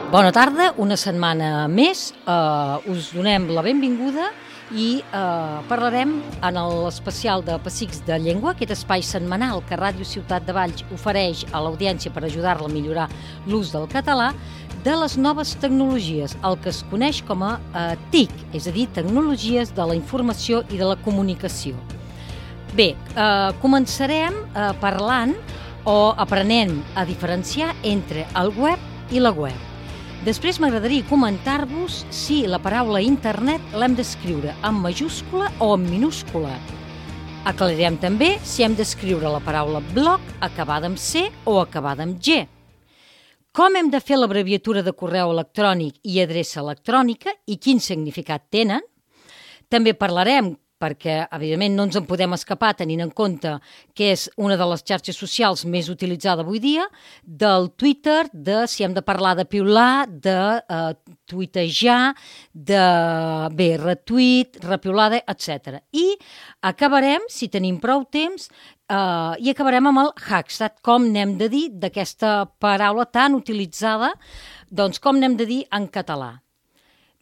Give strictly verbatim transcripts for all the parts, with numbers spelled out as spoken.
Bona tarda, una setmana més. Uh, us donem la benvinguda i uh, parlarem en l'especial de Pessics de Llengua, aquest espai setmanal que Ràdio Ciutat de Valls ofereix a l'audiència per ajudar-la a millorar l'ús del català, de les noves tecnologies, el que es coneix com a uh, T I C, és a dir, Tecnologies de la Informació i de la Comunicació. Bé, uh, començarem uh, parlant o aprenent a diferenciar entre el web i la web. Després m'agradaria comentar-vos si la paraula internet l'hem d'escriure en majúscula o en minúscula. Aclarirem també si hem d'escriure la paraula blog acabada amb C o acabada amb G. Com hem de fer l'abreviatura de correu electrònic i adreça electrònica i quin significat tenen. També parlarem, perquè evidentment no ens en podem escapar tenint en compte que és una de les xarxes socials més utilitzada avui dia, del Twitter, de si hem de parlar de piular, de uh, tuitejar, de bé, retuit, repiulada, etcètera. I acabarem, si tenim prou temps, uh, i acabarem amb el hashtag, com n'hem de dir d'aquesta paraula tan utilitzada, doncs com n'hem de dir en català.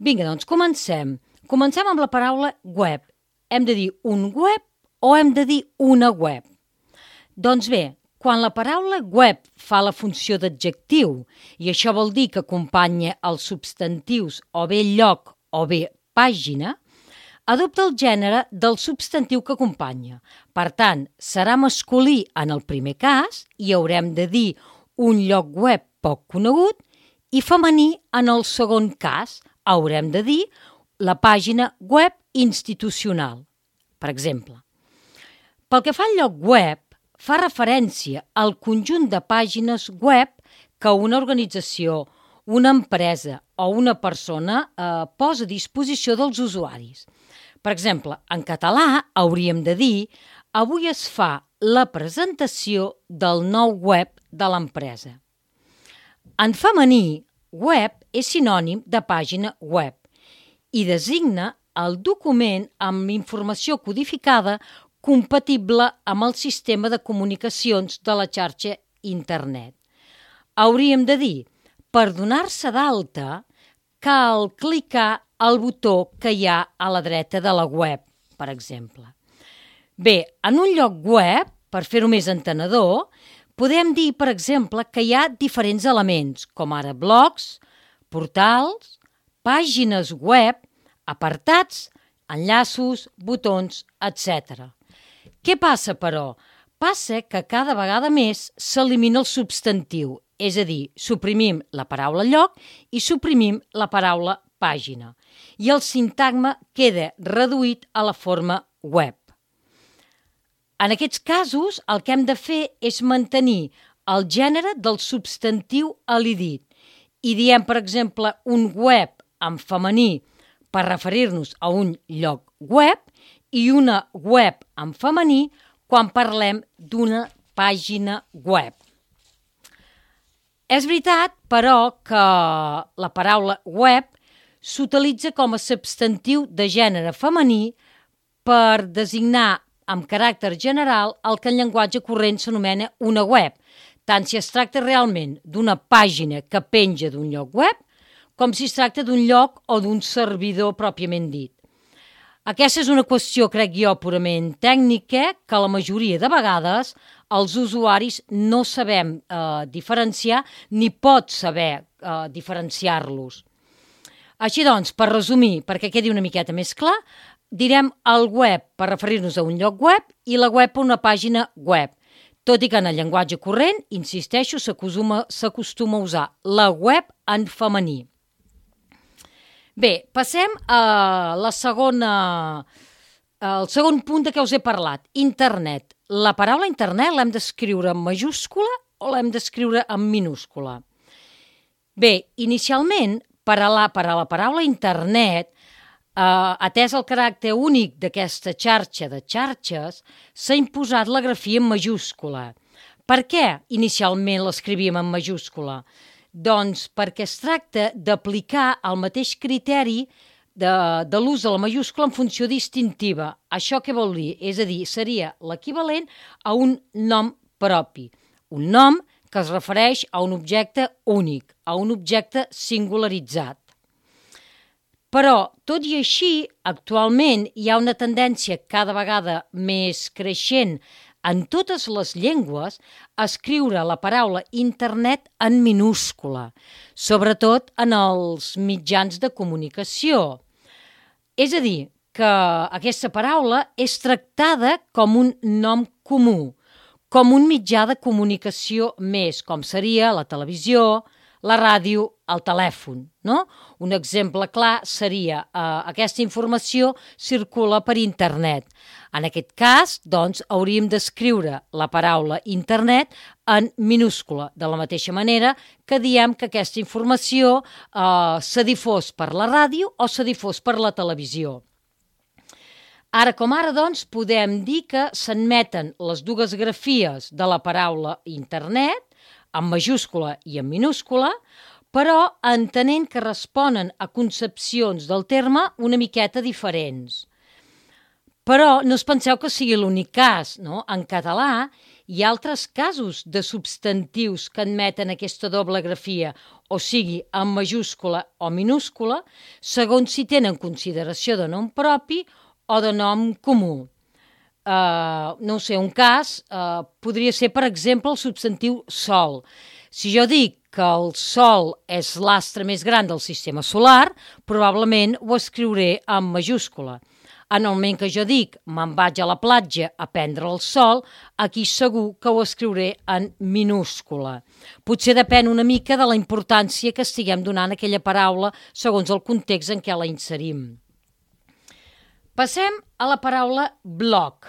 Vinga, doncs comencem. Comencem amb la paraula web. Hem de dir un web o hem de dir una web? Doncs bé, quan la paraula web fa la funció d'adjectiu, i això vol dir que acompanya els substantius o bé lloc o bé pàgina, adopta el gènere del substantiu que acompanya. Per tant, serà masculí en el primer cas i haurem de dir un lloc web poc conegut i femení en el segon cas. Haurem de dir la pàgina web institucional, per exemple. Pel que fa al lloc web, fa referència al conjunt de pàgines web que una organització, una empresa o una persona eh, posa a disposició dels usuaris. Per exemple, en català hauríem de dir avui es fa la presentació del nou web de l'empresa. En femení, web és sinònim de pàgina web i designa el document amb informació codificada compatible amb el sistema de comunicacions de la xarxa internet. Hauríem de dir, per donar-se d'alta, cal clicar al botó que hi ha a la dreta de la web, per exemple. Bé, en un lloc web, per fer-ho més entenedor, podem dir, per exemple, que hi ha diferents elements, com ara blogs, portals, pàgines web, apartats, enllaços, botons, etcètera. Què passa, però? Passa que cada vegada més s'elimina el substantiu, és a dir, suprimim la paraula lloc i suprimim la paraula pàgina. I el sintagma queda reduït a la forma web. En aquests casos, el que hem de fer és mantenir el gènere del substantiu elidit i diem, per exemple, un web en femení per referir-nos a un lloc web i una web en femení quan parlem d'una pàgina web. És veritat, però, que la paraula web s'utilitza com a substantiu de gènere femení per designar amb caràcter general el que en llenguatge corrent s'anomena una web, tant si es tracta realment d'una pàgina que penja d'un lloc web com si es tracta d'un lloc o d'un servidor pròpiament dit. Aquesta és una qüestió, crec jo, purament tècnica, que la majoria de vegades els usuaris no sabem eh, diferenciar ni pot saber eh, diferenciar-los. Així doncs, per resumir, perquè quedi una miqueta més clar, direm el web per referir-nos a un lloc web i la web a una pàgina web, tot i que en el llenguatge corrent, insisteixo, s'acostuma a usar la web en femení. Bé, passem a la segona, al segon punt de què us he parlat, internet. La paraula internet l'hem d'escriure en majúscula o l'hem d'escriure en minúscula? Bé, inicialment, per a la, per a la paraula internet, eh, atès el caràcter únic d'aquesta xarxa de xarxes, s'ha imposat la grafia en majúscula. Per què inicialment l'escrivíem en majúscula? Doncs perquè es tracta d'aplicar el mateix criteri de, de l'ús de la majúscula en funció distintiva. Això què vol dir? És a dir, seria l'equivalent a un nom propi. Un nom que es refereix a un objecte únic, a un objecte singularitzat. Però, tot i així, actualment hi ha una tendència cada vegada més creixent en totes les llengües a escriure la paraula internet en minúscula, sobretot en els mitjans de comunicació. És a dir, que aquesta paraula és tractada com un nom comú, com un mitjà de comunicació més, com seria la televisió, la ràdio, el telèfon, no? Un exemple clar seria eh, aquesta informació circula per internet. En aquest cas, doncs, hauríem d'escriure la paraula internet en minúscula, de la mateixa manera que diem que aquesta informació eh, se difós per la ràdio o se difós per la televisió. Ara com ara, doncs, podem dir que s'admeten les dues grafies de la paraula internet, en majúscula i en minúscula, però entenent que responen a concepcions del terme una miqueta diferents. Però no us penseu que sigui l'únic cas, no? En català hi ha altres casos de substantius que admeten aquesta doble grafia, o sigui, en majúscula o minúscula, segons si tenen consideració de nom propi o de nom comú. Uh, no sé, un cas uh, podria ser, per exemple, el substantiu sol. Si jo dic que el sol és l'astre més gran del sistema solar, probablement ho escriuré en majúscula. En el moment que jo dic me'n vaig a la platja a prendre el sol, aquí segur que ho escriuré en minúscula. Potser depèn una mica de la importància que estiguem donant a aquella paraula segons el context en què la inserim. Passem a la paraula blog.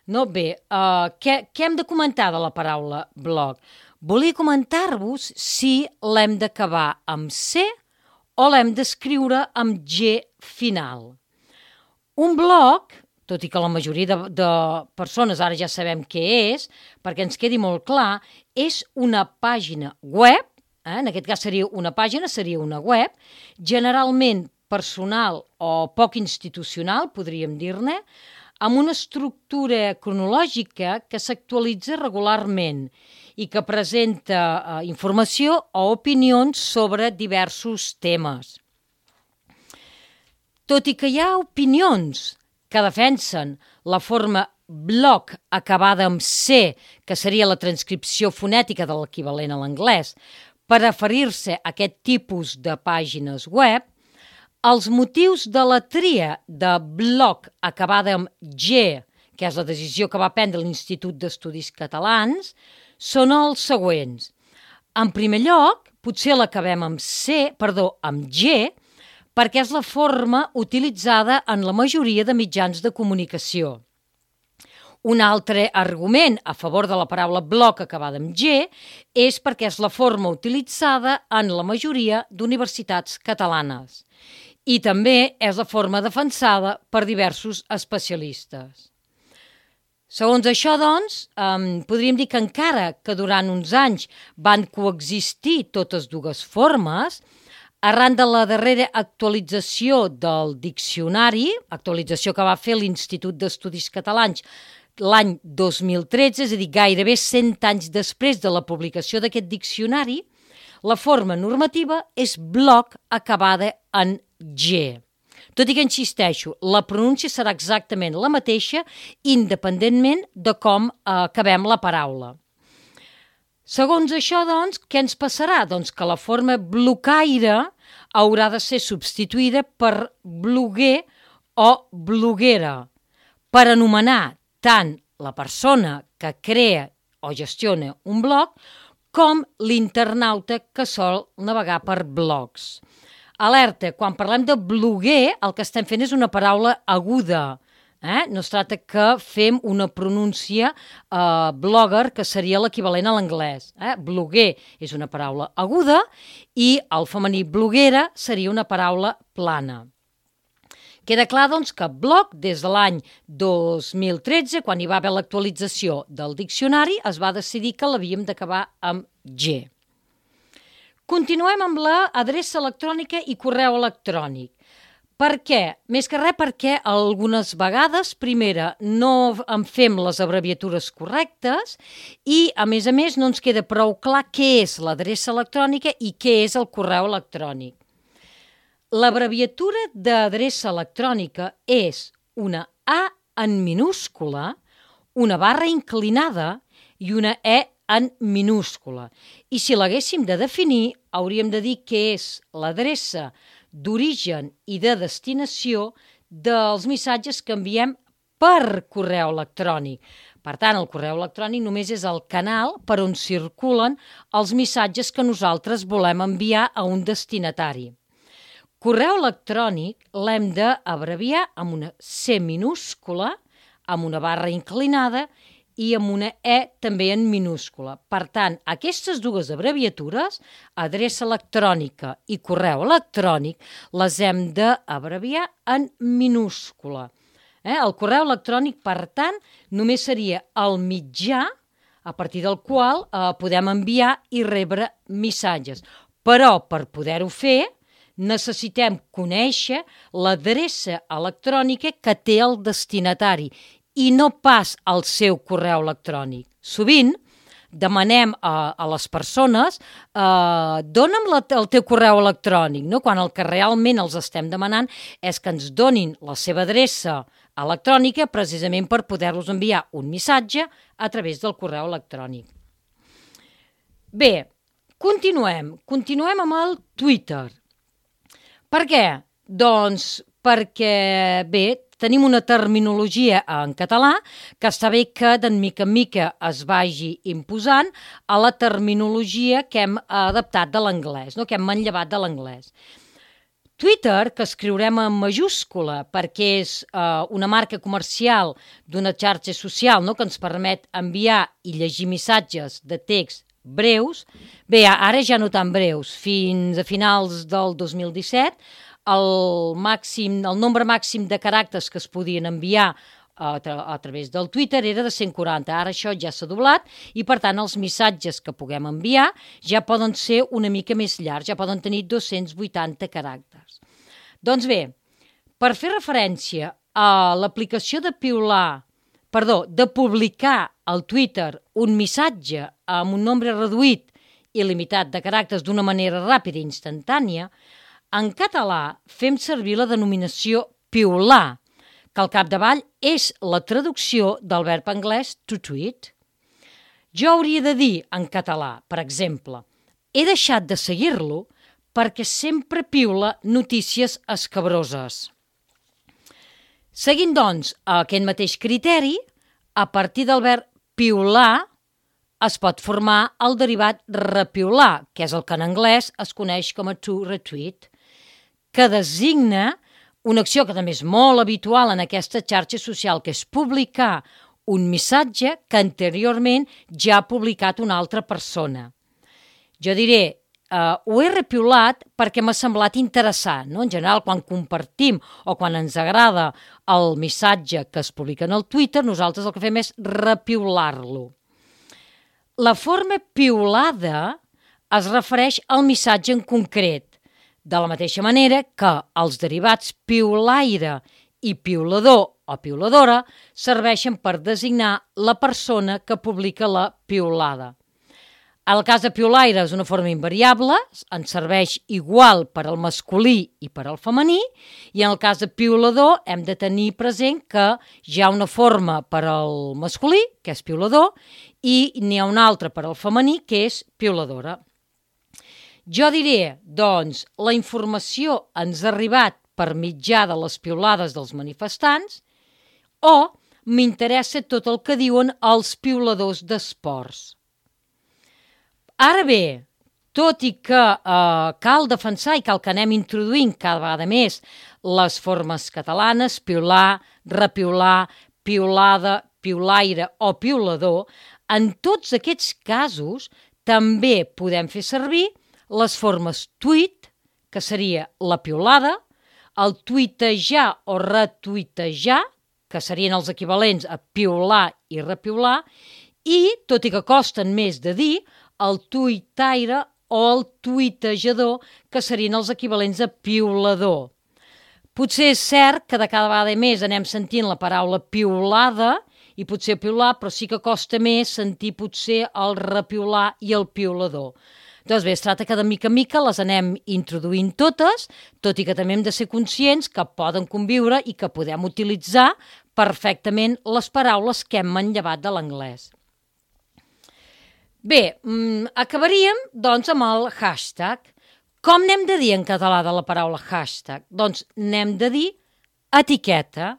No, bé, uh, què, què hem de comentar de la paraula blog? Volia comentar-vos si l'hem d'acabar amb C o l'hem d'escriure amb G final. Un blog, tot i que la majoria de, de persones ara ja sabem què és, perquè ens quedi molt clar, és una pàgina web, eh? En aquest cas seria una pàgina, seria una web, generalment personal o poc institucional, podríem dir-ne, amb una estructura cronològica que s'actualitza regularment i que presenta eh, informació o opinions sobre diversos temes. Tot i que hi ha opinions que defensen la forma blog acabada amb C, que seria la transcripció fonètica de l'equivalent a l'anglès, per referir-se a aquest tipus de pàgines web, els motius de la tria de blog acabada amb G, que és la decisió que va prendre l'Institut d'Estudis Catalans, són els següents. En primer lloc, potser l'acabem amb C, perdó, amb G, perquè és la forma utilitzada en la majoria de mitjans de comunicació. Un altre argument a favor de la paraula blog acabada amb G és perquè és la forma utilitzada en la majoria d'universitats catalanes. I també és la forma defensada per diversos especialistes. Segons això, doncs, eh, podríem dir que encara que durant uns anys van coexistir totes dues formes, arran de la darrera actualització del diccionari, actualització que va fer l'Institut d'Estudis Catalans l'any dos mil tretze, és a dir, gairebé cent anys després de la publicació d'aquest diccionari, la forma normativa és blog acabada en G. Tot i que, insisteixo, la pronúncia serà exactament la mateixa independentment de com eh, acabem la paraula. Segons això, doncs, què ens passarà? Doncs que la forma blocaire haurà de ser substituïda per bloguer o bloguera, per anomenar tant la persona que crea o gestiona un blog com l'internauta que sol navegar per blogs. Alerta, quan parlem de bloguer, el que estem fent és una paraula aguda. Eh? No es tracta que fem una pronúncia eh, blogger, que seria l'equivalent a l'anglès. Eh? Bloguer és una paraula aguda i el femení bloguera seria una paraula plana. Queda clar, doncs, que blog, des de l'any dos mil tretze, quan hi va haver l'actualització del diccionari, es va decidir que l'havíem d'acabar amb G. Continuem amb l'adreça electrònica i correu electrònic. Per què? Més que res perquè algunes vegades, primera, no en fem les abreviatures correctes i, a més a més, no ens queda prou clar què és l'adreça electrònica i què és el correu electrònic. L'abreviatura d'adreça electrònica és una A en minúscula, una barra inclinada i una E en minúscula. I si l'haguéssim de definir, hauríem de dir què és l'adreça d'origen i de destinació dels missatges que enviem per correu electrònic. Per tant, el correu electrònic només és el canal per on circulen els missatges que nosaltres volem enviar a un destinatari. Correu electrònic l'hem d'abreviar amb una C minúscula, amb una barra inclinada i amb una E també en minúscula. Per tant, aquestes dues abreviatures, adreça electrònica i correu electrònic, les hem d'abreviar en minúscula. Eh? El correu electrònic, per tant, només seria el mitjà a partir del qual eh, podem enviar i rebre missatges. Però, per poder-ho fer, necessitem conèixer l'adreça electrònica que té el destinatari i no pas el seu correu electrònic. Sovint demanem a, a les persones eh, dona'm la, el teu correu electrònic, no? Quan el que realment els estem demanant és que ens donin la seva adreça electrònica precisament per poder-los enviar un missatge a través del correu electrònic. Bé, continuem. Continuem amb el Twitter. Per què? Doncs perquè, bé, tenim una terminologia en català que està bé que de mica en mica es vagi imposant a la terminologia que hem adaptat de l'anglès, no? Que hem manllevat de l'anglès. Twitter, que escriurem en majúscula perquè és eh, una marca comercial d'una xarxa social, no? Que ens permet enviar i llegir missatges de text breus, bé, ara ja no tan breus, fins a finals del dos mil disset, el màxim, el nombre màxim de caràcters que es podien enviar a, tra a través del Twitter era de cent quaranta. Ara això ja s'ha doblat i, per tant, els missatges que puguem enviar ja poden ser una mica més llargs, ja poden tenir dos-cents vuitanta caràcters. Doncs bé, per fer referència a l'aplicació de piular, perdó, de publicar al Twitter un missatge amb un nombre reduït i limitat de caràcters d'una manera ràpida i instantània, en català fem servir la denominació piular, que al capdavall és la traducció del verb anglès to tweet. Jo hauria de dir en català, per exemple, he deixat de seguir-lo perquè sempre piula notícies escabroses. Seguint, doncs, aquest mateix criteri, a partir del verb piular es pot formar el derivat repiular, que és el que en anglès es coneix com a to retweet, que designa una acció que també és molt habitual en aquesta xarxa social, que és publicar un missatge que anteriorment ja ha publicat una altra persona. Jo diré, eh, ho he repiulat perquè m'ha semblat interessant, no? En general, quan compartim o quan ens agrada el missatge que es publica en el Twitter, nosaltres el que fem és repiular-lo. La forma piulada es refereix al missatge en concret, de la mateixa manera que els derivats piulaire i piulador o piuladora serveixen per designar la persona que publica la piulada. El cas de piulaire és una forma invariable, ens serveix igual per al masculí i per al femení, i en el cas de piulador hem de tenir present que hi ha una forma per al masculí, que és piulador, i n'hi ha una altra per al femení, que és piuladora. Jo diré, doncs, la informació ens ha arribat per mitjà de les piulades dels manifestants o m'interessa tot el que diuen els piuladors d'esports. Ara bé, tot i que eh, cal defensar i cal que anem introduint cada vegada més les formes catalanes, piular, repiular, piulada, piulaire o piulador, en tots aquests casos també podem fer servir les formes tweet, que seria la piulada, el tuitejar o retuitejar, que serien els equivalents a piular i repiular, i, tot i que costen més de dir, el tuitaire o el tuitejador, que serien els equivalents a piulador. Potser és cert que de cada vegada més anem sentint la paraula piulada, i potser piular, però sí que costa més sentir potser el repiular i el piulador. Doncs bé, es tracta que de mica en mica les anem introduint totes, tot i que també hem de ser conscients que poden conviure i que podem utilitzar perfectament les paraules que hem manllevat de l'anglès. Bé, acabaríem doncs amb el hashtag. Com n'hem de dir en català de la paraula hashtag? Doncs n'hem de dir etiqueta.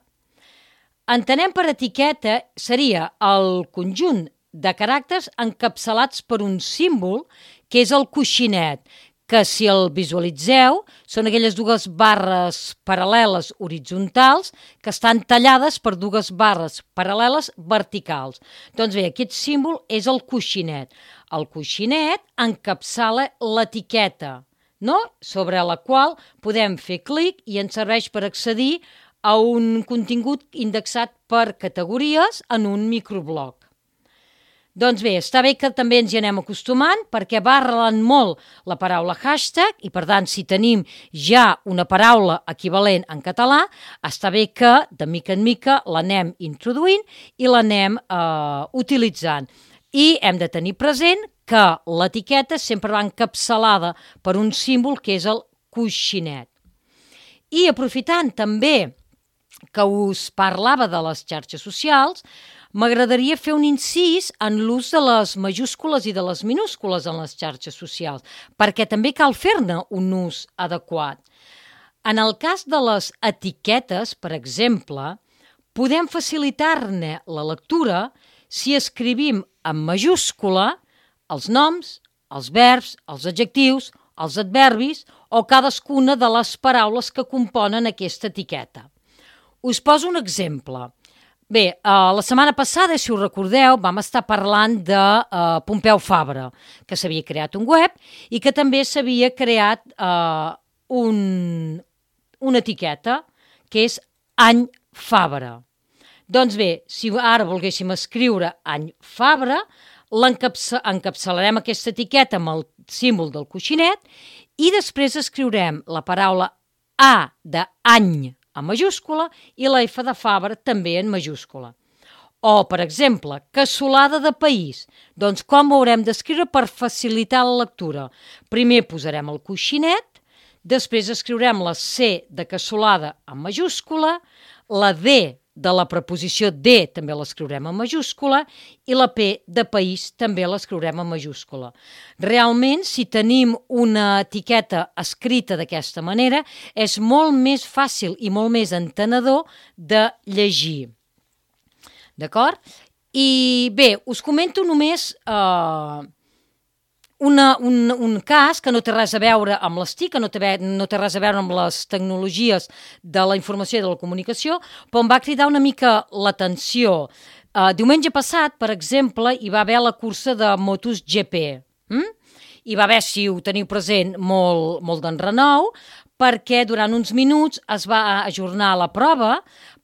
Entenem per etiqueta seria el conjunt de caràcters encapçalats per un símbol que és el coixinet, que si el visualitzeu són aquelles dues barres paral·leles horitzontals que estan tallades per dues barres paral·leles verticals. Doncs bé, aquest símbol és el coixinet. El coixinet encapçala l'etiqueta, no? Sobre la qual podem fer clic i ens serveix per accedir a un contingut indexat per categories en un microblog. Doncs bé, està bé que també ens hi anem acostumant perquè va arrelant molt la paraula hashtag i, per tant, si tenim ja una paraula equivalent en català, està bé que de mica en mica l'anem introduint i l'anem eh, utilitzant. I hem de tenir present que l'etiqueta sempre va encapçalada per un símbol que és el coixinet. I aprofitant també que us parlava de les xarxes socials, m'agradaria fer un incís en l'ús de les majúscules i de les minúscules en les xarxes socials, perquè també cal fer-ne un ús adequat. En el cas de les etiquetes, per exemple, podem facilitar-ne la lectura si escrivim en majúscula els noms, els verbs, els adjectius, els adverbis o cadascuna de les paraules que componen aquesta etiqueta. Us poso un exemple. Bé, uh, la setmana passada, si us recordeu, vam estar parlant de uh, Pompeu Fabra, que s'havia creat un web i que també s'havia creat uh, un, una etiqueta, que és Any Fabra. Doncs bé, si ara volguéssim escriure Any Fabra, encapçalarem aquesta etiqueta amb el símbol del coixinet i després escriurem la paraula A d'any en majúscula i la F de Fabra també en majúscula. O, per exemple, cassolada de país. Doncs com ho haurem d'escriure per facilitar la lectura? Primer posarem el coixinet, després escriurem la C de cassolada en majúscula, la D de la preposició de també l'escriurem en majúscula i la P de país també l'escriurem en majúscula. Realment, si tenim una etiqueta escrita d'aquesta manera, és molt més fàcil i molt més entenedor de llegir. D'acord? I bé, us comento només eh, una, un, un cas que no té res a veure amb les T I C, que no té, no té res a veure amb les tecnologies de la informació i de la comunicació, però em va cridar una mica l'atenció. Uh, diumenge passat, per exemple, hi va haver la cursa de MotoGP. Mm? Hi va haver, si ho teniu present, molt, molt d'enrenou, perquè durant uns minuts es va ajornar la prova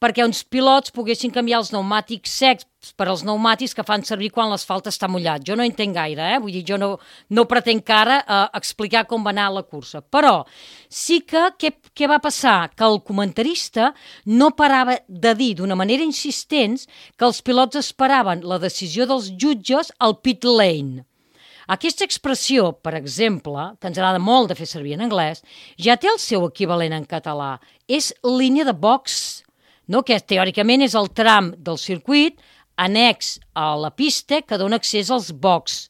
perquè uns pilots poguessin canviar els pneumàtics secs per als pneumàtics que fan servir quan l'asfalt està mullat. Jo no entenc gaire, eh? Vull dir, jo no, no pretenc ara eh, explicar com va anar la cursa. Però sí que què, què va passar? Que el comentarista no parava de dir d'una manera insistent que els pilots esperaven la decisió dels jutges al pit lane. Aquesta expressió, per exemple, que ens agrada molt de fer servir en anglès, ja té el seu equivalent en català. És línia de box, no? Que teòricament és el tram del circuit annex a la pista que dona accés als box,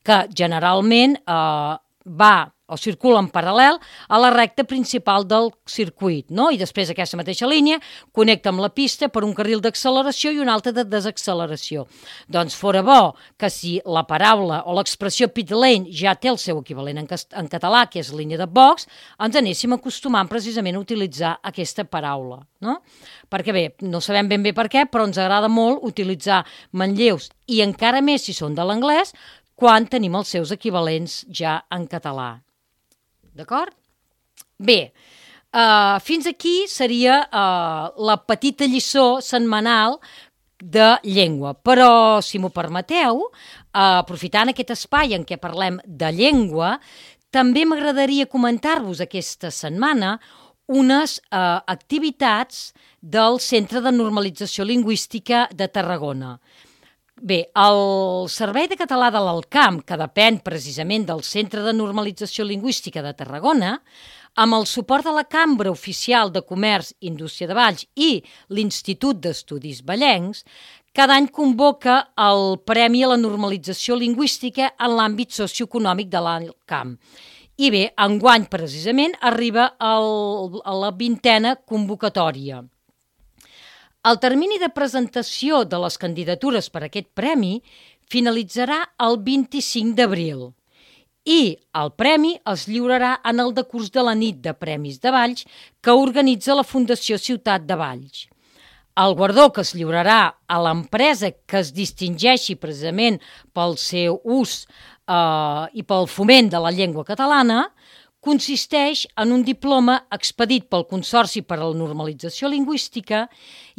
que generalment eh, va o circula en paral·lel a la recta principal del circuit, no? I després aquesta mateixa línia connecta amb la pista per un carril d'acceleració i un altre de desacceleració. Doncs fora bo que si la paraula o l'expressió pit lane ja té el seu equivalent en, en català, que és línia de box, ens anéssim acostumant precisament a utilitzar aquesta paraula, no? Perquè bé, no sabem ben bé per què, però ens agrada molt utilitzar manlleus, i encara més si són de l'anglès, quan tenim els seus equivalents ja en català. D'acord? Bé, uh, fins aquí seria uh, la petita lliçó setmanal de llengua. Però, si m'ho permeteu, uh, aprofitant aquest espai en què parlem de llengua, també m'agradaria comentar-vos aquesta setmana unes eh, activitats del Centre de Normalització Lingüística de Tarragona. Bé, el Servei de Català de l'Alcamp, que depèn precisament del Centre de Normalització Lingüística de Tarragona, amb el suport de la Cambra Oficial de Comerç i Indústria de Valls i l'Institut d'Estudis Vallencs, cada any convoca el Premi a la Normalització Lingüística en l'àmbit socioeconòmic de l'Alcamp. I bé, enguany precisament arriba el, a la vintena convocatòria. El termini de presentació de les candidatures per a aquest premi finalitzarà el vint-i-cinc d'abril i el premi es lliurarà en el decurs de la nit de Premis de Valls que organitza la Fundació Ciutat de Valls. El guardó que es lliurarà a l'empresa que es distingeixi precisament pel seu ús eh, i pel foment de la llengua catalana consisteix en un diploma expedit pel Consorci per a la Normalització Lingüística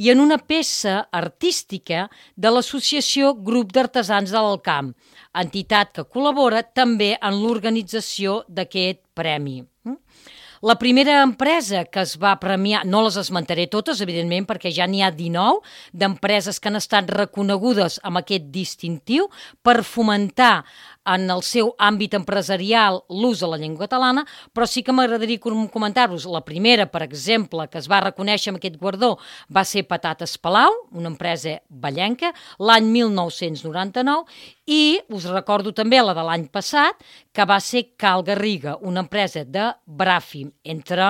i en una peça artística de l'Associació Grup d'Artesans de l'Alcamp, entitat que col·labora també en l'organització d'aquest premi. La primera empresa que es va premiar, no les esmentaré totes, evidentment, perquè ja n'hi ha dinou d'empreses que han estat reconegudes amb aquest distintiu per fomentar en el seu àmbit empresarial l'ús de la llengua catalana, però sí que m'agradaria comentar-vos. La primera, per exemple, que es va reconèixer amb aquest guardó va ser Patates Palau, una empresa vallenca, l'any mil nou-cents noranta-nou, i us recordo també la de l'any passat, que va ser Cal Garriga, una empresa de Bràfim, entre,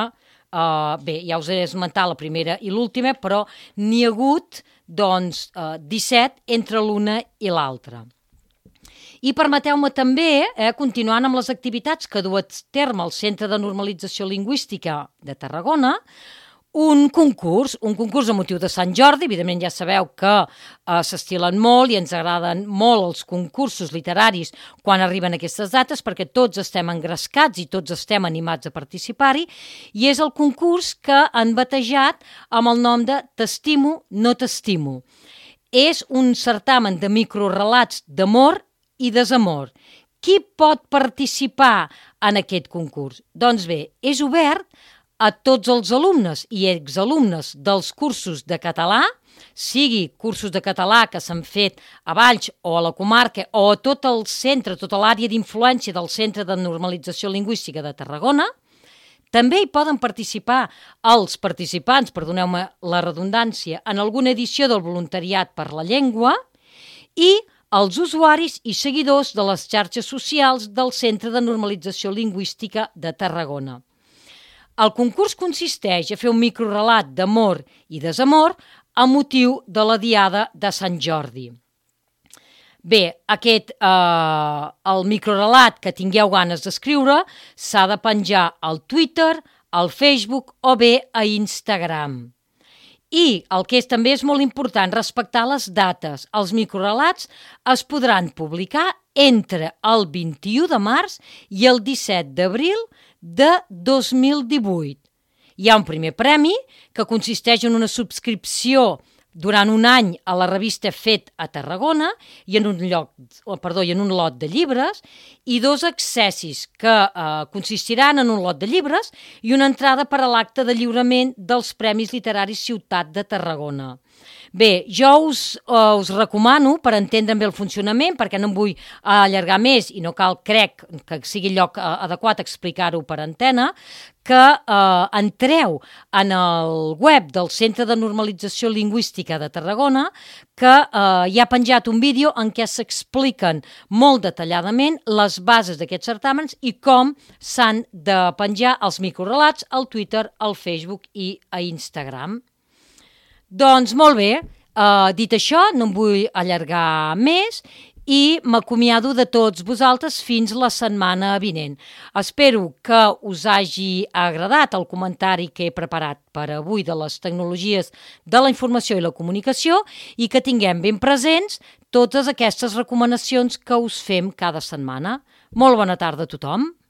uh, bé, ja us he esmentat la primera i l'última, però n'hi ha hagut, doncs, uh, disset entre l'una i l'altra. I permeteu-me també, eh, continuant amb les activitats que du a terme el Centre de Normalització Lingüística de Tarragona, un concurs, un concurs a motiu de Sant Jordi. Evidentment ja sabeu que eh, s'estilen molt i ens agraden molt els concursos literaris quan arriben aquestes dates perquè tots estem engrescats i tots estem animats a participar-hi, i és el concurs que han batejat amb el nom de T'estimo, no t'estimo. És un certamen de microrelats d'amor i desamor. Qui pot participar en aquest concurs? Doncs bé, és obert a tots els alumnes i exalumnes dels cursos de català, sigui cursos de català que s'han fet a Valls o a la comarca o a tot el centre, tota l'àrea d'influència del Centre de Normalització Lingüística de Tarragona. També hi poden participar els participants, perdoneu-me la redundància, en alguna edició del Voluntariat per la Llengua i els usuaris i seguidors de les xarxes socials del Centre de Normalització Lingüística de Tarragona. El concurs consisteix a fer un microrelat d'amor i desamor a motiu de la Diada de Sant Jordi. Bé, aquest, eh, el microrelat que tingueu ganes d'escriure s'ha de penjar al Twitter, al Facebook o bé a Instagram. I el que és, també és molt important, respectar les dates. Els microrelats es podran publicar entre el vint-i-u de març i el disset d'abril de dos mil divuit. Hi ha un primer premi que consisteix en una subscripció durant un any a la revista Fet a Tarragona i en un, lloc, perdó, i en un lot de llibres i dos accessis que eh, consistiran en un lot de llibres i una entrada per a l'acte de lliurament dels Premis Literaris Ciutat de Tarragona. Bé, jo us, uh, us recomano, per entendre bé el funcionament, perquè no em vull allargar més i no cal, crec, que sigui lloc uh, adequat explicar-ho per antena, que uh, entreu en el web del Centre de Normalització Lingüística de Tarragona, que uh, hi ha penjat un vídeo en què s'expliquen molt detalladament les bases d'aquests certàmens i com s'han de penjar els microrelats al Twitter, al Facebook i a Instagram. Doncs molt bé, uh, dit això, no em vull allargar més i m'acomiado de tots vosaltres fins la setmana vinent. Espero que us hagi agradat el comentari que he preparat per avui de les tecnologies de la informació i la comunicació i que tinguem ben presents totes aquestes recomanacions que us fem cada setmana. Molt bona tarda a tothom.